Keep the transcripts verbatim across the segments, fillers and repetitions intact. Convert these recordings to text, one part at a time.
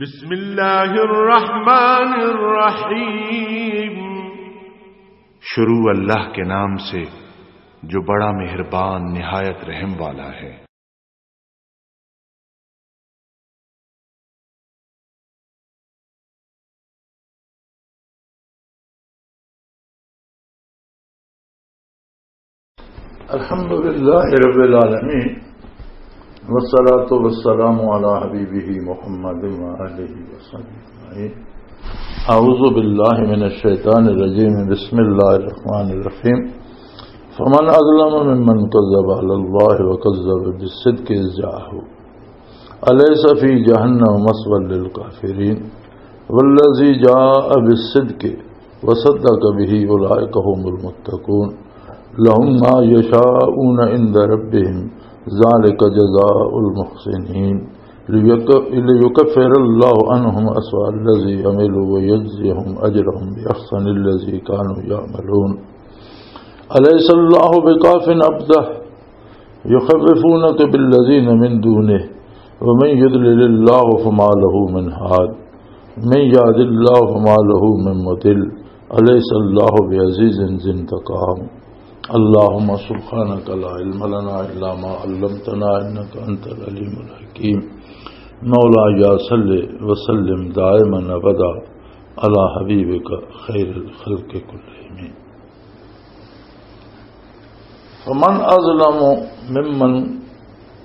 بسم اللہ الرحمن الرحیم۔ شروع اللہ کے نام سے جو بڑا مہربان نہایت رحم والا ہے۔ الحمد لله رب العالمين، والصلاة والسلام على حبيبه محمد وآله وصحبه أجمعين. أعوذ بالله من الشيطان الرجيم. بسم الله الرحمن الرحيم. فمن أظلم ممن كذب على الله وكذب بالصدق إذ جاءه. أليس في جهنم مثوى للكافرين؟ والذي جاء بالصدق وصدق به أولئك هم المتقون. لهم ما يشاءون عند ربهم، ذلك جزاء المحسنين. ليك-، ليكفر الله عنهم أسوأ الذي عملوا ويجزيهم أجرهم بأحسن الذي كانوا يعملون. أليس الله بكاف عبده؟ يخوفونك بالذين من دونه ومن يضلل الله فما له من هاد، من يهد الله فما له من مضل، أليس الله بعزيز ذي انتقام. اللهم سبحانك لا علم لنا إلا ما علمتنا إنك أنت العليم الحكيم. مولاي صل وسلم دائما أبدا على حبيبك خير الخلق كلهم. فمن أظلم ممن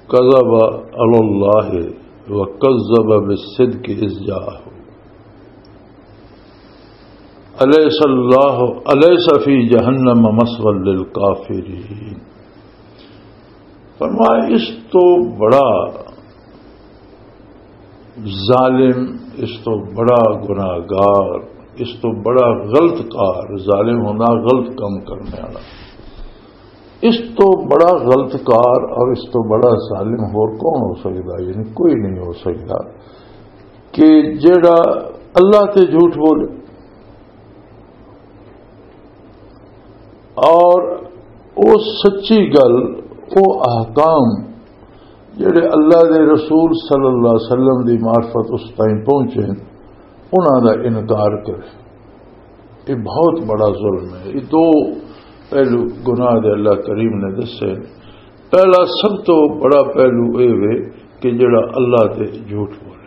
كذب على الله وكذب بالصدق إذ جاءه. أليس الله، أليس في جهنم مثوى للكافرين؟ فرمایا، اس تو بڑا ظالم، اس تو بڑا گناہگار، اس تو بڑا غلط کار، ظالم ہونا غلط کام کرنے والا، اس تو بڑا غلط کار اور اس تو بڑا ظالم ہور کون ہو سکتا؟ یعنی کوئی نہیں ہو سکتا کہ جڑا اللہ تے جھوٹ بولے اور او سچی گل، او احکام جڑے اللہ دے رسول صلی اللہ علیہ وسلم دی معرفت اس تائیں پہنچے، انہاں دا انکار کرے۔ یہ بہت بڑا ظلم ہے۔ یہ دو پہلو گناہ دے اللہ کریم نے دسے۔ پہلا سب تو بڑا پہلو یہ وے کہ جڑا اللہ تے جھوٹ بولے۔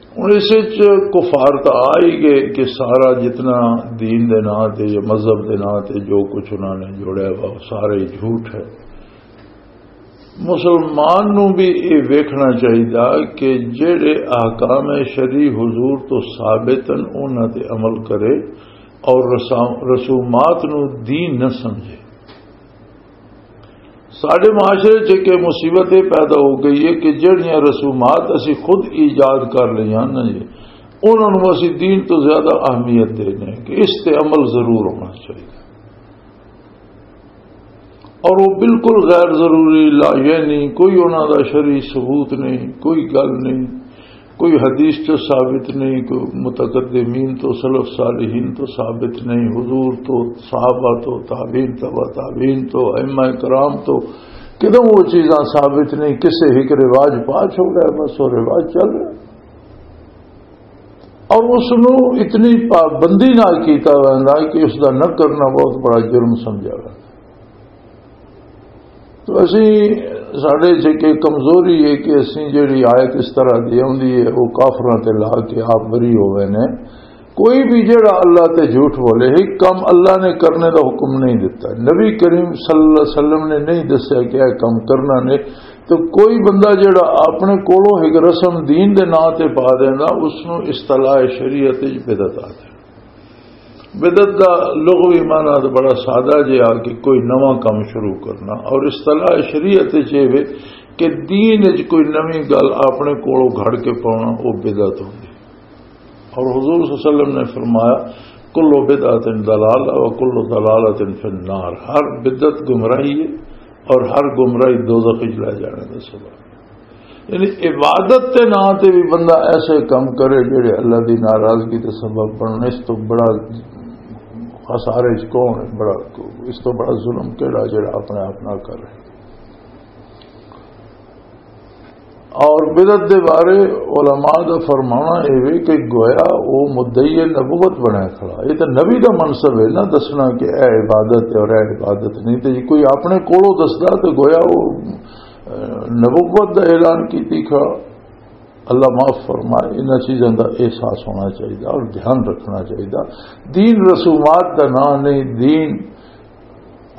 ہن اس وچ کفار تاں آ ہی گئے کہ سارا جتنا دین دے ناں تے یا مذہب دے ناں تے جو کچھ انہاں نے جوڑیا وا، وہ سارا ہی جھوٹ ہے۔ مسلمان نوں بھی یہ ویکھنا چاہیدا کہ جڑے احکام شرعی حضور تو ثابت ہیں، انہاں تے عمل کرے اور رسا-، رسومات نوں دین نہ سمجھے۔ ساڈے معاشرے چ ایک مصیبت یہ پیدا ہو گئی ہے کہ جڑیاں رسومات اسی خود ایجاد کر لیاں نا جی، انہاں نوں اسی دین تو زیادہ اہمیت دینے کہ اس تے عمل ضرور ہونا چاہیے۔ اور وہ بالکل غیر ضروری، لا، یعنی کوئی انہاں دا شرعی ثبوت نہیں، کوئی گل نہیں، کوئی حدیث تو ثابت نہیں، کوئی متقدمین تو، سلف صالحین تو ثابت نہیں، حضور تو، صحابہ تو، تابعین، تبع تابعین تو، ائمہ کرام تو، کدوں وہ چیزاں ثابت نہیں، کسے ایک رواج پاس ہو گیا، بس وہ رواج چل رہا۔ اور اس نو اتنی پابندی نہ کیتا ویندا کہ اس دا نہ کرنا بہت بڑا جرم سمجھا ویندا۔ تو اسی، ساڈے چ ایک کمزوری ہے کہ اسی جڑی آیت اس طرح دی آندی ہے، وہ کافراں تے لا کے آپ بری ہوئے نے۔ کوئی بھی جڑا اللہ تے جھوٹ بولے، ایک کم اللہ نے کرنے دا حکم نہیں دیتا، نبی کریم صلی اللہ علیہ وسلم نے نہیں دسیا کہ یہ کم کرنا نے۔ تو کوئی بندہ جڑا اپنے کولوں ایک رسم دین دے ناں تے پا دیندا، اس نوں اصطلاح شریعت وچ بدعت آ جائے۔ بدعت دا لغوی معنی تو بڑا سادہ جہا کہ کوئی نواں کام شروع کرنا، اور اصطلاح شریعت وچ یہ وے کہ دین وچ کوئی نویں گل اپنے کولوں گھڑ کے پاؤنا، وہ بدعت ہوندی۔ اور حضور صلی اللہ علیہ وسلم نے فرمایا، "کل بدعت ضلالہ و کل ضلالۃ فی النار"، ہر بدعت گمراہی ہے اور ہر گمراہی دوزخ وچ لے جانے دا سبب۔ یعنی عبادت دے ناں تے بھی بندہ ایسے کام کرے جڑے اللہ دی ناراضگی دے سبب بنن، اس تو بڑا خسارے وچ کون ہے؟ بڑا، اس تو بڑا ظلم کیڑا جڑا اپنے آپ نال کر رہے؟ اور بدعت دے بارے علماء دا فرمانا اے وے کہ گویا او مدعی نبوت بنیا کھڑا۔ یہ تو نبی دا منصب ہے نا، دسنا کہ اے عبادت ہے اور اے عبادت نہیں۔ تے جے کوئی اپنے کولوں دسدا تے گویا او، اے، نبوت دا اعلان کیتی کھڑا۔ اللہ معاف فرمائے، انہاں چیزاں دا احساس ہونا چاہیے اور دھیان رکھنا چاہیے۔ دین رسومات دا نام نہیں، دین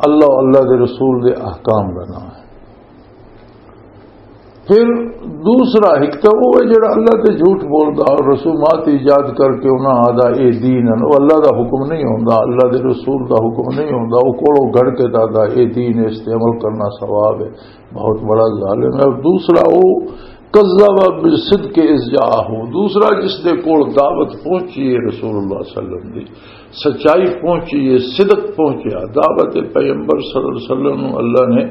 اللہ، اللہ دے رسول دے احکام دا نام ہے۔ پھر دوسرا ایک تو وہ ہے جڑا اللہ تے جھوٹ بولدا اور رسومات ایجاد کر کے انہاں آدا اے دین ہے، وہ اللہ دا حکم نہیں ہوندا، اللہ دے رسول دا حکم نہیں ہوندا، وہ کولوں گھڑ کے دادا اے دین ہے، اس تے عمل کرنا ثواب ہے، بہت بڑا ظالم ہے۔ اور دوسرا وہ کذب بالصدق اذ جاءہ، دوسرا جس دے کول دعوت پہنچی ہے رسول اللہ صلی اللہ علیہ وسلم دی، سچائی پہنچی ہے، صدق پہنچیا۔ دعوت پیغمبر صلی اللہ علیہ وسلم نو اللہ نے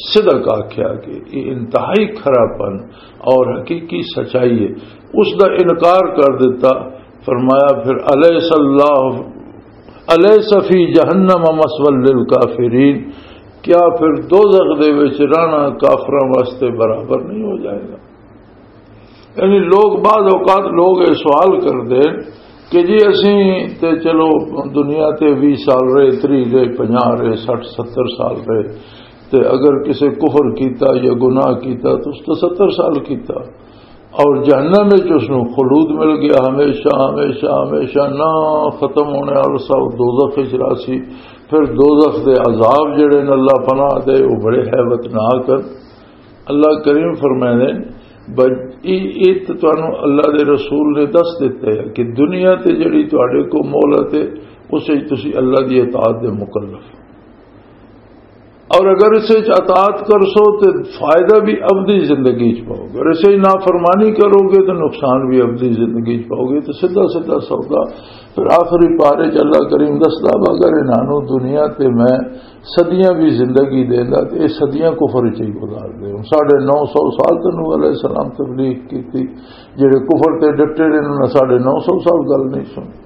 صدق آکھیا کہ یہ انتہائی کھرا پن اور حقیقی سچائی ہے، اس دا انکار کر دیتا۔ فرمایا پھر، الیس اللہ، الیس فی جہنم مثوی للکافرین، کیا پھر دوزخ دے وچ رہنا کافراں واسطے برابر نہیں ہو جائے گا؟ یعنی لوگ، بعض اوقات لوگ یہ سوال کردے کہ جی اسی تے چلو دنیا تے ویہہ سال رہے، تریہہ رہے، پنجاہ رہے، سٹھ ستر سال رہے، تے اگر کسے کفر کیتا یا گناہ کیتا تو اس تے ستر سال کیتا، اور جہنم وچ اس نوں خلود مل گیا، ہمیشہ، ہمیشہ، ہمیشہ نہ ختم ہونے والا سا، دوزخ وچ راسی۔ پھر دوزخ دے عذاب جڑے نے، اللہ پناہ دے، وہ بڑے ہیبتناک ہیں۔ اللہ کریم فرمائے نے، ب-، ای-، ای تے تانوں اللہ دے رسول نے دس دتا ہے کہ دنیا تے جڑی تواڈے کو مہلت ہے، اس وچ تسی اللہ دی اطاعت دے مکلف ہو۔ اور اگر اس وچ اطاعت کرسو تے فائدہ بھی ابدی زندگی چ پاؤ گے، اور اس وچ نافرمانی کرو گے تو نقصان بھی ابدی زندگی چ پاؤ گے۔ تو سیدھا سیدھا سودا۔ پھر آخری پارے چ اللہ کریم دسدا، اگر انہاں نوں دنیا تے میں صدیاں بھی زندگی دیندا تے یہ صدیاں کفر وچ ہی گزار دے۔ ہن ساڑھے نو سو سال تے نوح علیہ السلام تبلیغ کیتی، جڑے کفر تے ڈٹے رہے انہاں نے ساڑھے نو سو سال گل نہیں سنی۔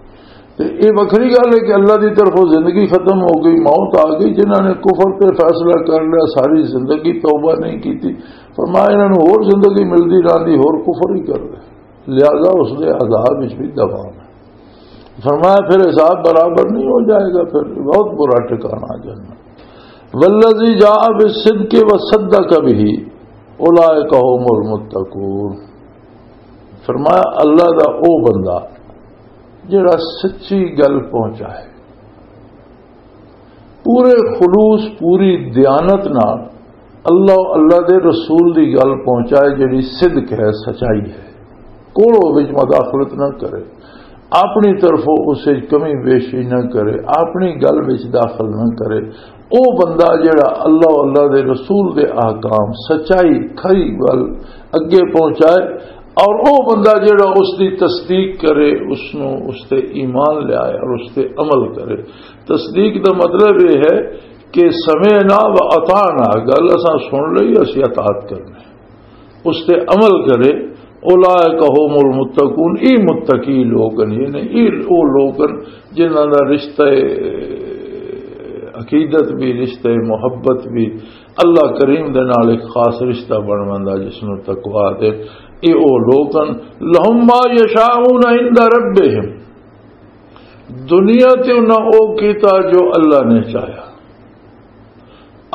تے یہ وکھری گل ہے کہ اللہ دی طرفوں زندگی ختم ہو گئی، موت آ گئی، جنہاں نے کفر تے فیصلہ کر لیا، ساری زندگی توبہ نہیں کیتی، فرمایا انہاں نوں ہور زندگی ملدی رہندی، ہور کفر ہی کر لے، لہذا اس دے عذاب وچ بھی دفعہ ہے۔ فرمایا پھر حساب برابر نہیں ہو جائے گا، پھر بہت برا ٹھکانہ جنت۔ والذی جاء بالصدق وصدق به اولئک هم المتقون۔ فرمایا اللہ دا او بندہ جڑا سچی گل پہنچائے، پورے خلوص، پوری دیانت نال اللہ، اللہ دے رسول دی گل پہنچائے، جڑی صدق ہے، سچائی ہے، کوڑو وچ مداخلت نہ کرے، اپنی طرفوں اس وچ کمی بیشی نہ کرے، اپنی گل وچ داخل نہ کرے۔ او بندہ جڑا اللہ، اللہ دے رسول دے احکام، سچائی، کھری گل اگے پہنچائے، اور او بندہ جڑا اس دی تصدیق کرے، اس نو، اس تے ایمان لے آئے اور اس تے عمل کرے۔ تصدیق دا مطلب یہ ہے کہ سمعنا و اطعنا، گل اساں سن لئی، اسی اطاعت کرنی، اس تے عمل کرے۔ اولئک هم المتقون، ای متقی لوگ ہیں، یعنی ای او لوگ ہیں جنہاں دا رشتہ عقیدت بھی، رشتہ محبت بھی، اللہ کریم دے نال ایک خاص رشتہ بن ویندا جس نوں تقویٰ دے۔ اے او لوگ ہیں، لهم ما یشاءون عند ربهم، دنیا تے انہاں او کیتا جو اللہ نے چاہیا،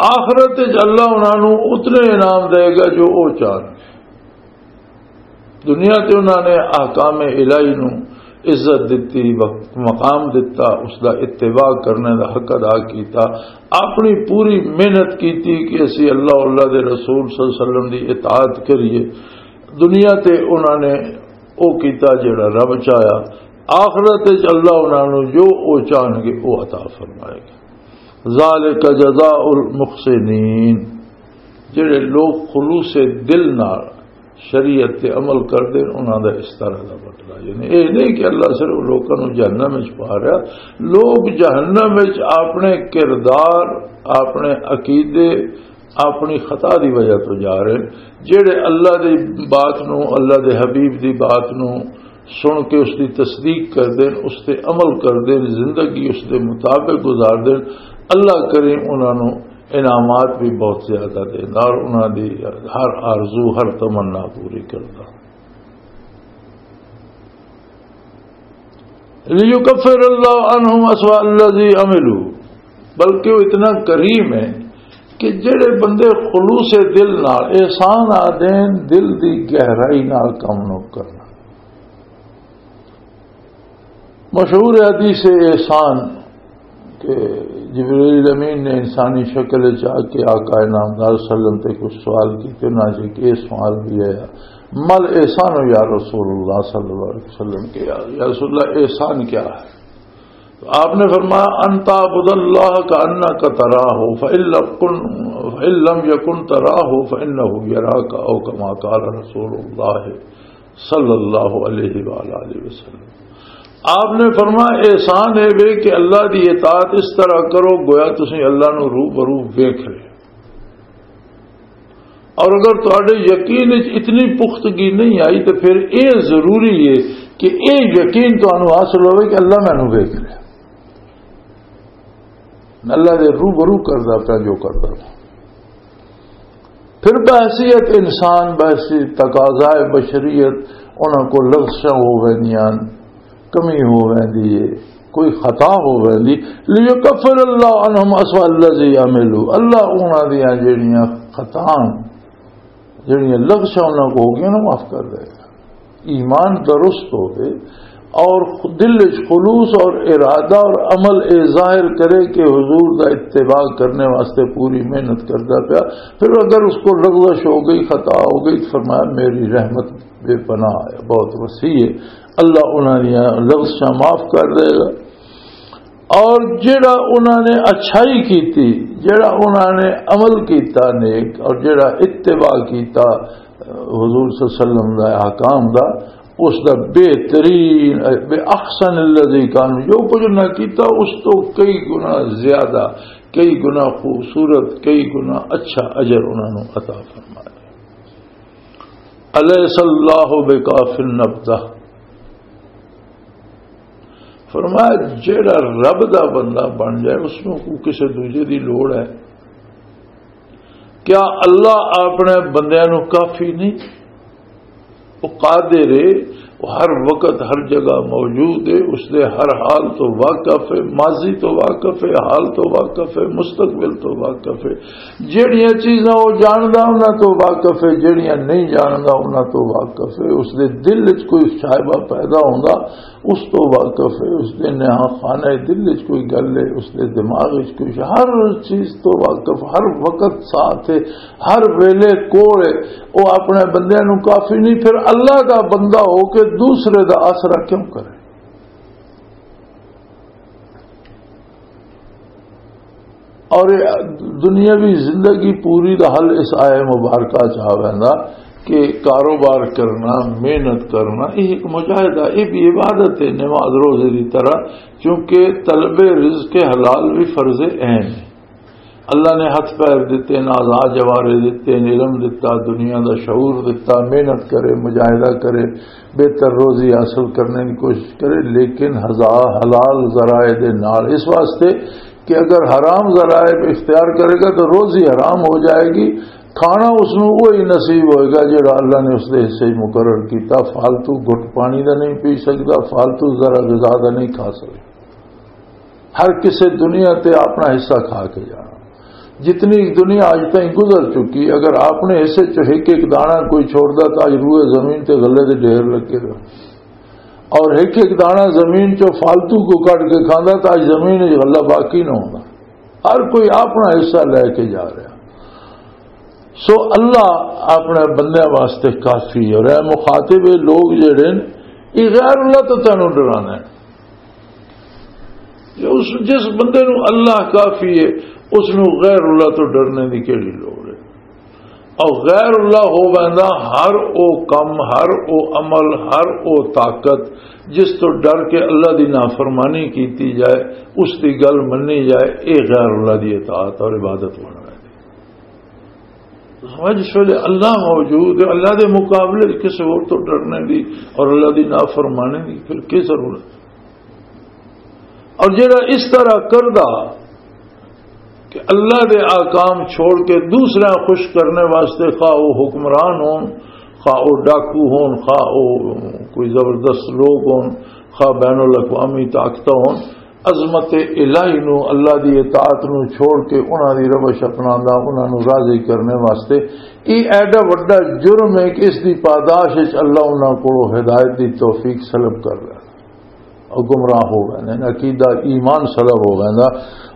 آخرت وچ اللہ انہاں نوں اتنے انعام دے گا جو او چاہن۔ دنیا تے انہاں نے احکام الہی نوں عزت دتی، وقت، مقام دتا، اس دا اتباع کرنے دا حق ادا کیتا، اپنی پوری محنت کیتی کہ اسی اللہ، اللہ دے رسول صلی اللہ علیہ وسلم دی اطاعت کریے۔ دنیا تے انہاں نے او کیتا جڑا رب چاہیا، آخرت وچ اللہ انہاں نوں جو او چاہن گے او عطا فرمائے گا۔ ذالک جزاء المحسنین، جڑے لوگ خلوص دل نال شریعت تے عمل کردے نے، انہاں دا اس طرح دا بدلہ۔ یعنی اے نہیں کہ اللہ صرف لوکاں نوں جہنم وچ پا رہا، لوگ جہنم وچ اپنے کردار، اپنے عقیدے، اپنی خطا دی وجہ تو جا رہے ہیں۔ جڑے اللہ دی بات نوں، اللہ دے حبیب دی بات نوں سن کے اس دی تصدیق کردے نے، اس تے عمل کردے نے، زندگی اس دے مطابق گزاردے نے، اللہ کریم انہاں نوں انعامات بھی بہت زیادہ دیندا اور انہاں دی ہر آرزو، ہر تمنا پوری کردا۔ لیکفر اللہ عنہم اسوأ الذی عملوا، بلکہ وہ اتنا کریم ہے کہ جڑے بندے خلوص دل نال احسان آ دین، دل دی گہرائی نال کم نو کرنا۔ مشہور حدیث احسان کہ جبرائیل امین نے انسانی شکل چ آ کے آقا نامدار صلی اللہ علیہ وسلم تے کچھ سوال کیتے، انہاں چ ایک یہ سوال بھی آیا، "مل احسان یا رسول اللہ؟" صلی اللہ علیہ وسلم کہ یا، یا رسول اللہ، احسان کیا ہے؟ تو آپ نے فرمایا، "ان تعبد اللہ کانک تراہ، فإن لم کن، فإن لم یکن تراہ فإنہ یراک، او کما قال رسول اللہ صلی اللہ علیہ وآلہ وسلم۔" آپ نے فرمایا، احسان ہے وے کہ اللہ دی اطاعت اس طرح کرو گویا تسی اللہ نو رو برو ویکھ رہے۔ اور اگر تہاڈے یقین وچ اتنی پختگی نہیں آئی تو پھر اے ضروری ہے کہ اے یقین تانوں حاصل ہوئے کہ اللہ مینوں ویکھ رہا، اللہ دے روبرو کردا پیا جو کردا پیا۔ پھر بحیثیت انسان، بحیثیت تقاضائے بشریت، انہاں کو لغزشاں ہو ویندیاں، کمی ہو ویندی ہے، کوئی خطا ہو ویندی۔ لیکفر اللہ عنہم اسوأ الذی عملوا، اللہ انہاں دیاں جڑیاں خطاواں، جڑیاں لغزشاں انہاں کو ہو گئیاں نا، معاف کر دے گا۔ ایمان درست ہوئے اور دل وچ خلوص اور ارادہ اور عمل اے ظاہر کرے کہ حضور دا اتباع کرنے واسطے پوری محنت کردا پیا، پھر اگر اس کو لغزش ہو گئی، خطا ہو گئی، تو فرمایا، "میری رحمت بے پناہ ہے، بہت وسیع ہے۔" اللہ انہاں دیاں لغزشاں معاف کر دے گا۔ اور جڑا انہاں نے اچھائی کیتی، جڑا انہاں نے عمل کیتا نیک، اور جڑا اتباع کیتا حضور صلی اللہ علیہ وسلم دا احکام دا، اس دا بہترین، بے احسن الذی کان، جو کچھ انہاں کیتا اس تو کئی گنا زیادہ، کئی گنا خوبصورت، کئی گنا اچھا اجر انہاں نوں عطا فرمایا۔ الیس اللہ بکاف عبدہ۔ فرمایا، جیڑا رب دا بندہ بن جائے، اس نوں کو کسے دوجے دی لوڑ ہے؟ کیا اللہ اپنے بندیاں نوں کافی نہیں؟ وہ قادر ہے، وہ ہر وقت ہر جگہ موجود ہے، اس دے ہر حال تو واقف ہے، ماضی تو واقف ہے، حال تو واقف ہے، مستقبل تو واقف ہے۔ جیڑیاں چیزاں وہ جاندا، انہاں تو واقف ہے، جیڑیاں نہیں جاندا، انہاں تو واقف ہے۔ اس دے دل وچ کوئی شائبہ پیدا ہوندا، اس تو واقف ہے۔ اس دے نہاں خانہ دل وچ کوئی گل ہے، اس دے دماغ وچ کوئی شے، ہر چیز تو واقف، ہر وقت ساتھ ہے، ہر ویلے کول ہے۔ وہ اپنے بندیاں نوں کافی نہیں، پھر اللہ دا بندہ ہو کے دوسرے دا آسرا کیوں کرے؟ اور یہ دنیاوی زندگی پوری دا حل اس آئے مبارکہ چ آ ویندا کہ کاروبار کرنا، محنت کرنا، یہ ایک مجاہدہ، یہ بھی عبادت ہے، نماز روزے دی طرح، کیونکہ طلب رزق حلال بھی فرض عین ہے۔ اللہ نے ہتھ پیر دتے، آزاد جوارے دتے، علم دتا، دنیا دا شعور دتا، محنت کرے، مجاہدہ کرے، بہتر روزی حاصل کرنے کی کوشش کرے، لیکن ہزا-، حلال ذرائع دے نال، اس واسطے کہ اگر حرام ذرائع اختیار کرے گا تو روزی حرام ہو جائے گی، کھانا اس نوں وہی نصیب ہوئے گا جڑا اللہ نے اس دے حصے مقرر کیتا۔ فالتو گھٹ پانی دا نہیں پی سکدا، فالتو ذرا غذا دا نہیں کھا سکدا۔ ہر کسے دنیا تے اپنا حصہ کھا کے جانا۔ جتنی دنیا اج تائیں گزر چکی، اگر اپنے حصے چ ایک ایک دانا کوئی چھوڑدا تو اج روئے زمین تے غلے دے ڈھیر لگے رہے۔ اور ایک ایک دانا زمین چ فالتو کو کٹ کے کھاندا تو اج زمین وچ غلہ باقی نہ ہوندا۔ ہر کوئی اپنا حصہ لے کے جا رہا۔ سو اللہ اپنے بندیاں واسطے کافی ہے۔ اور اے مخاطب، اے لوگ جڑے نے، یہ غیر اللہ تو تینوں ڈرانا ہے۔ جو اس، جس بندے نو اللہ کافی ہے، اس نو غیر اللہ تو ڈرنے دی کیڑی لوڑ ہے؟ اور غیر اللہ ہو ویندا ہر او کم، ہر او عمل، ہر او طاقت جس تو ڈر کے اللہ دی نافرمانی کیتی جائے، اس دی گل منی جائے، اے غیر اللہ دی اطاعت اور عبادت بن ویندی۔ سمجھ، اس ویلے اللہ موجود ہے، اللہ دے مقابلے وچ کسے ہور تو ڈرنے دی اور اللہ دی نافرمانی دی پھر کی ضرورت؟ اور جڑا اس طرح کردا، کہ اللہ دے احکام چھوڑ کے دوسرے خوش کرنے واسطے، خواہ وہ حکمران ہون، خواہ وہ ڈاکو ہون، خواہ وہ کوئی زبردست لوگ ہون، خواہ بین الاقوامی طاقتاں ہون، عظمت الہی نو، اللہ دی اطاعت نو چھوڑ کے انہاں دی روش اپناندا، انہاں نو راضی کرنے واسطے، یہ ایڈا وڈا جرم ہے کہ اس دی پاداش وچ اللہ انہاں کولوں ہدایت دی توفیق سلب کر رہا ہے۔ اور گمراہ ہو گئے نے، عقیدہ ایمان سلب ہو گئے نا۔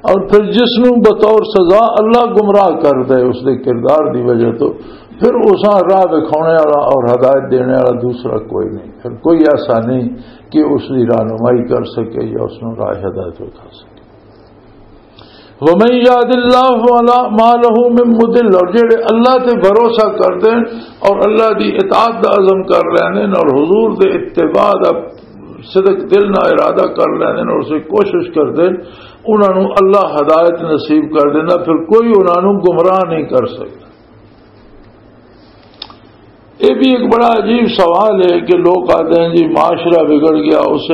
اور پھر جس نو بطور سزا اللہ گمراہ کر دے اس دے کردار دی وجہ تو، پھر اساں راہ دکھانے والا اور ہدایت دینے والا دوسرا کوئی نہیں، پھر کوئی ایسا نہیں کہ اس دی رہنمائی کر سکے یا اس نو راہ ہدایت اٹھا سکے۔ ومن یهد اللہ فلا ما له من مضل، اور جڑے اللہ تے بھروسہ کر دین اور اللہ دی اطاعت دا عزم کر لیندے اور حضور دے اتباع دا صدق دل نہ ارادہ کر لیندے اور اسے کوشش کر دین، انہاں نوں اللہ ہدایت نصیب کر دیندا، پھر کوئی انہاں نوں گمراہ نہیں کر سکدا۔ یہ بھی ایک بڑا عجیب سوال ہے کہ لوگ آتے ہیں، جی، معاشرہ بگڑ گیا، اسے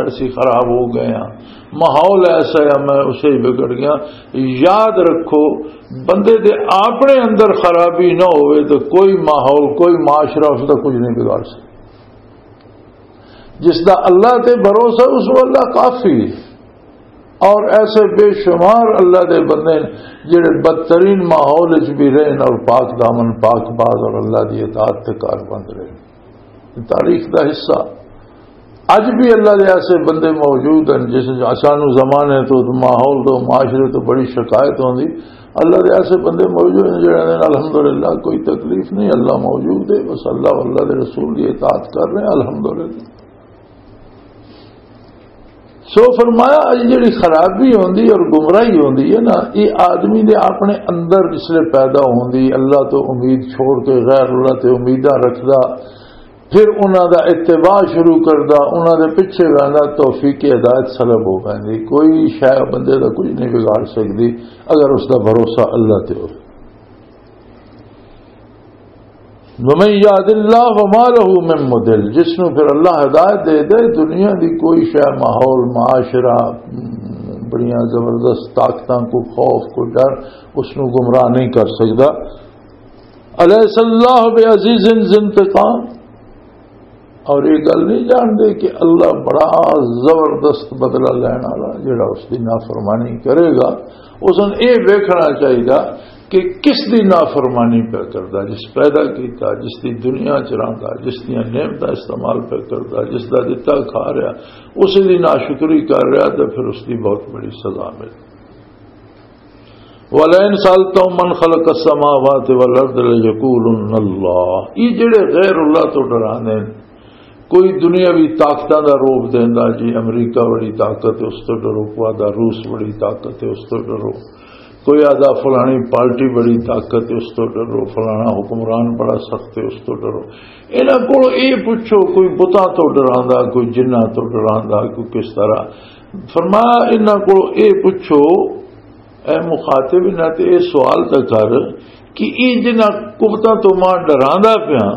اسی خراب ہو گئے ہیں، ماحول ایسا ہے، میں اسے ہی بگڑ گیا۔ یاد رکھو، بندے دے اپنے اندر خرابی نہ ہوئے تو کوئی ماحول، کوئی معاشرہ اس کا کچھ نہیں بگاڑ سکتا۔ جس دا اللہ تے بھروسہ، اس کو اللہ کافی ہے۔ اور ایسے بے شمار اللہ دے بندے نے جڑے بدترین ماحول وچ بھی رہن اور پاک دامن، پاک باز اور اللہ دی اطاعت تے کار بند رہے۔ تاریخ دا حصہ۔ اج بھی اللہ دے ایسے بندے موجود ہیں جس، سانو زمانے تو، ماحول تو، معاشرے تو بڑی شکایت ہوندی۔ اللہ دے ایسے بندے موجود ہیں جڑے نے، الحمدللہ، کوئی تکلیف نہیں، اللہ موجود ہے، بس اللہ، اللہ دے رسول کی اطاعت کر رہے ہیں، الحمدللہ۔ سو فرمایا، یہ جڑی خرابی ہوندی اور گمراہی ہوندی ہے نا، یہ آدمی دے اپنے اندر جس لے پیدا ہوندی، اللہ تو امید چھوڑ کے غیر اللہ تے امیداں رکھدا، پھر انہاں دا اتباع شروع کردا، انہاں دے پیچھے ویندا، توفیق ہدایت سلب ہو ویندی۔ کوئی شے بندے دا کچھ نہیں بگاڑ سکدی اگر اس دا بھروسہ اللہ تے ہوئے۔ ومن یهد اللہ فما له من مضل، جس نو پھر اللہ ہدایت دے دے، دنیا دی کوئی شے، ماحول، معاشرہ، بڑیاں زبردست طاقتاں، کو خوف، کو ڈر، اس نو گمراہ نہیں کر سکدا۔ الیس اللہ بعزیز ذی انتقام، اور یہ گل نہیں جانتے کہ اللہ بڑا زبردست بدلہ لین والا، جڑا اس دی نافرمانی کرے گا، اس نوں یہ ویکھنا چاہیے کہ کس دی نافرمانی پہ کردا، جس پیدا کیتا، جس دی دنیا چ رہندا، جس دیاں نعمتاں استعمال پہ کردا، جس دا دتا کھا رہا، اس دی ناشکری کر رہا، تو پھر اس دی بہت بڑی سزا ملے۔ وَلَئِن سَأَلْتَهُم مَّنْ خَلَقَ السَّمَاوَاتِ وَالْأَرْضَ لَيَقُولُنَّ اللَّهُ۔ یہ جڑے غیر اللہ تو ڈرانے، کوئی دنیاوی طاقتاں دا روپ دیندا، جی، امریکہ بڑی طاقت ہے، اس تو ڈرو، کوئی آدا روس بڑی طاقت ہے، اس تو ڈرو، کوئی آدا فلانی پارٹی بڑی طاقت ہے، اس تو ڈرو، فلانا حکمران بڑا سخت ہے، اس تو ڈرو۔ انہاں کول یہ پوچھو، کوئی بتاں تو ڈراندا، کوئی جناں تو ڈراندا، کوئی کس طرح۔ فرمایا، انہاں کول یہ پوچھو، اے مخاطب، انہاں تے اے سوال تے کر کہ اے جنہاں قوتاں تو میں ڈراندا پیاں،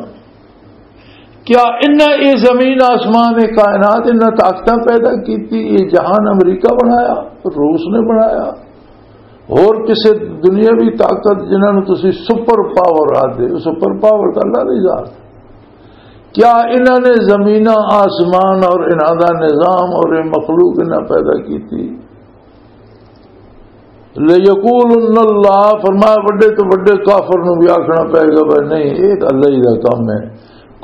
کیا انہاں اے زمین، آسمان، اے کائنات، انہاں طاقتاں پیدا کیتی؟ اے جہان امریکہ بنایا، روس نے بنایا، اور کسے دنیاوی طاقت جنہاں نوں تسی سپر پاور آدھے، سپر پاور تاں اللہ دی ذات۔ کیا انہاں نے زمیناں، آسمان اور انہاں دا نظام اور اے مخلوق انہاں پیدا کیتی؟ لَيَقُولُنَّ اللَّهُ، فرمایا، وڈے تو وڈے کافر نوں بھی آکھنا پے گا، بھائی نہیں، یہ تو اللہ ہی دا کام ہے۔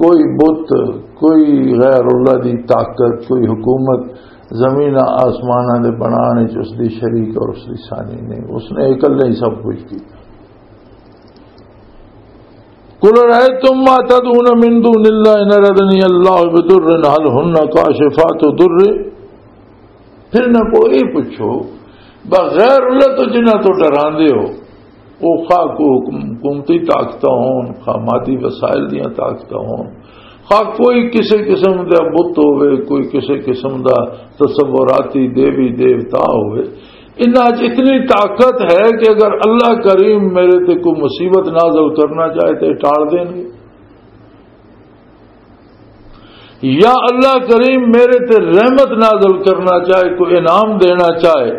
کوئی بت، کوئی غیر اللہ دی طاقت، کوئی حکومت زمین آسماناں دے بنانے چ اس دی شریک اور اس دی ثانی نہیں، اس نے اکلے ہی سب کچھ کیتا۔ قل رأيتم ما تدعون من دون الله إن أرادني الله بضر هل هن كاشفات ضره۔ پھر نہ کوئی پوچھو، بغیر اللہ تو جنہاں تو ڈراندے ہو، وہ خواہ کو حکم-، حکومتی طاقتاں ہون، خواہ مادی وسائل دیاں طاقتاں ہون، خواہ کوئی کسی قسم دا بت ہوئے، کوئی کسی قسم دا تصوراتی دیوی دیوتا ہوئے، انہاں اچ اتنی طاقت ہے کہ اگر اللہ کریم میرے تے کوئی مصیبت نازل کرنا چاہے تے ٹال دین گے، یا اللہ کریم میرے تے رحمت نازل کرنا چاہے، کوئی انعام دینا چاہے،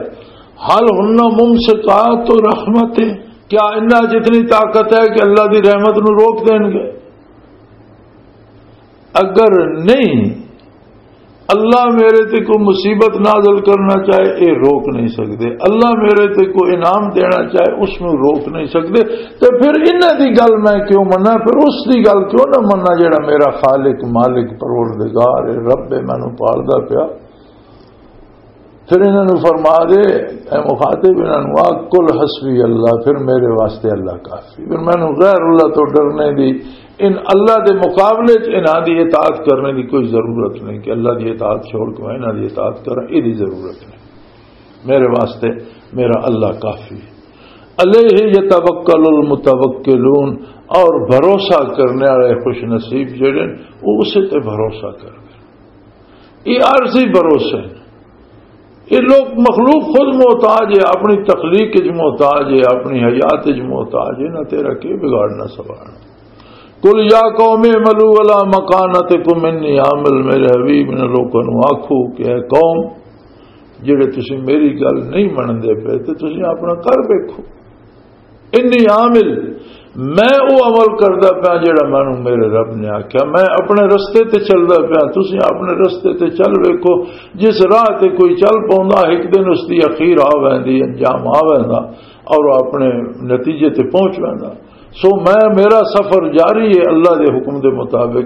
هل هن ممسكات رحمته؟ کیا انہاں جتنی طاقت ہے کہ اللہ دی رحمت نو روک دین گے؟ اگر نہیں، اللہ میرے تے کوئی مصیبت نازل کرنا چاہے، اے روک نہیں سکدے۔ اللہ میرے تے کوئی انعام دینا چاہے، اس نو روک نہیں سکدے۔ تے پھر انہاں دی گل میں کیوں مننا؟ پھر اس دی گل کیوں نہ مننا جڑا میرا خالق، مالک، پروردگار ہے، رب ہے، مینوں پالدا پیا؟ پھر انہاں نوں فرما دے، اے مخاطب، انہاں نوں آکھ، "قل حسبی اللہ"، پھر میرے واسطے اللہ کافی، پھر مینوں غیر اللہ تو ڈرنے دی، ان اللہ دے مقابلے چ انہاں دی اطاعت کرنے دی کوئی ضرورت نہیں کہ اللہ دی اطاعت چھوڑ کے میں انہاں دی اطاعت کراں، اے دی ضرورت نہیں۔ میرے واسطے میرا اللہ کافی ہے۔ علیہ یتوکل المتوکلون، اور بھروسہ کرنے والے خوش نصیب جڑے نے، وہ اسے تے بھروسہ کر دے۔ یہ عارضی بھروسے ہیں۔ یہ لوگ، مخلوق خود محتاج ہے، اپنی تخلیق وچ محتاج ہے، اپنی حیات وچ محتاج ہے، نہ تیرا کی بگاڑنا سوال۔ قل یا قوم اعملوا علی مکانتکم انی عامل، میرے حبیب نے لوگوں نوں آکھو کہ اے قوم، جڑے تسی میری گل نہیں منندے پے تے تسی اپنا کر ویکھو۔ انی عامل، میں او عمل کردا پیا جڑا مینوں میرے رب نے آکھیا، میں اپنے رستے تے چلدا پیا، تسی اپنے رستے تے چل ویکھو۔ جس راہ تے کوئی چل پوندا، ایک دن اس دی اخیر آ ویندی، انجام آ ویندا اور وہ اپنے نتیجے تے پہنچ ویندا۔ سو میں، میرا سفر جاری ہے اللہ دے حکم دے مطابق۔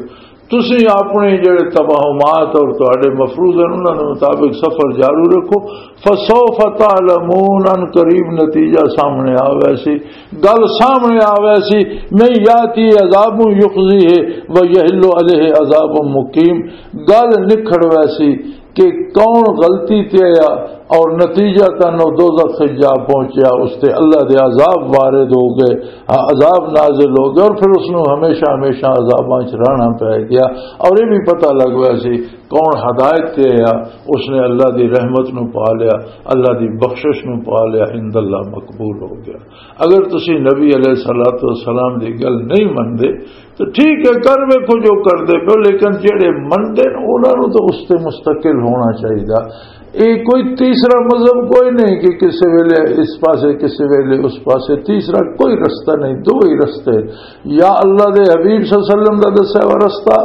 تسی اپنے جڑے توہمات اور تہاڈے مفروض ہیں، انہاں دے مطابق سفر جاری رکھو۔ فسوف تعلمون، ان قریب نتیجہ سامنے آوے سی، گل سامنے آوے سی۔ من یاتی عذاب یخزیہ و یحل علیہ عذاب مقیم، گل نکھڑ ویسی کہ کون غلطی تے آیا اور نتیجہ تن او دوزخ وچ جا پہنچیا، اس تے اللہ دے عذاب وارد ہو گئے، عذاب نازل ہو گئے اور پھر اس نوں ہمیشہ ہمیشہ عذاباں وچ رہنا پے گیا۔ اور یہ بھی پتہ لگ گیا سی کون ہدایت تے آیا، اس نے اللہ دی رحمت نو پا لیا، اللہ دی بخشش نو پا لیا، عند اللہ مقبول ہو گیا۔ اگر تسی نبی علیہ الصلوۃ والسلام دی گل نہیں مندے تو ٹھیک ہے، کر ویکھو جو کردے پے، لیکن جڑے مندے نے انہاں نوں تو اس تے مستقل ہونا چاہیدا۔ یہ کوئی تیسرا مذہب کوئی نہیں کہ کسی ویلے اس پاسے، کسی ویلے اس پاسے، تیسرا کوئی رستہ نہیں، دو ہی رستے، یا اللہ دے حبیب صلی اللہ علیہ وسلم دا دسیا ہوا رستہ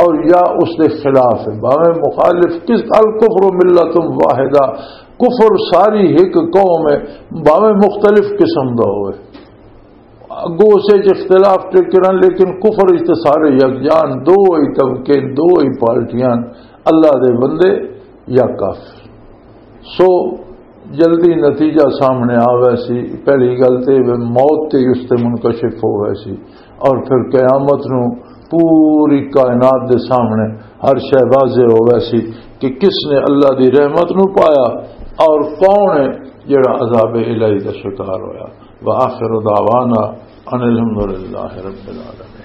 اور یا اس دے خلاف ہے۔ باویں مخالف کس، الکفر ملۃ واحدہ، کفر ساری ایک قوم ہے، باویں مختلف قسم دا ہوئے۔ اگوں اسے چ اختلاف ٹکرن، لیکن کفر اس تے سارے یکجان، دو ہی طبقے، دو ہی پارٹیاں، اللہ دے بندے یا کافر۔ سو جلدی نتیجہ سامنے آوے سی، پہلی گل تے وہ موت تے اس تے منکشف ہووے سی، اور پھر قیامت نو پوری کائنات دے سامنے ہر شے واضح ہووے سی کہ کس نے اللہ دی رحمت نو پایا اور کون ہے جڑا عذاب الہی دا شکار ہویا۔ وآخر دعوانا ان الحمدللہ رب العالمین۔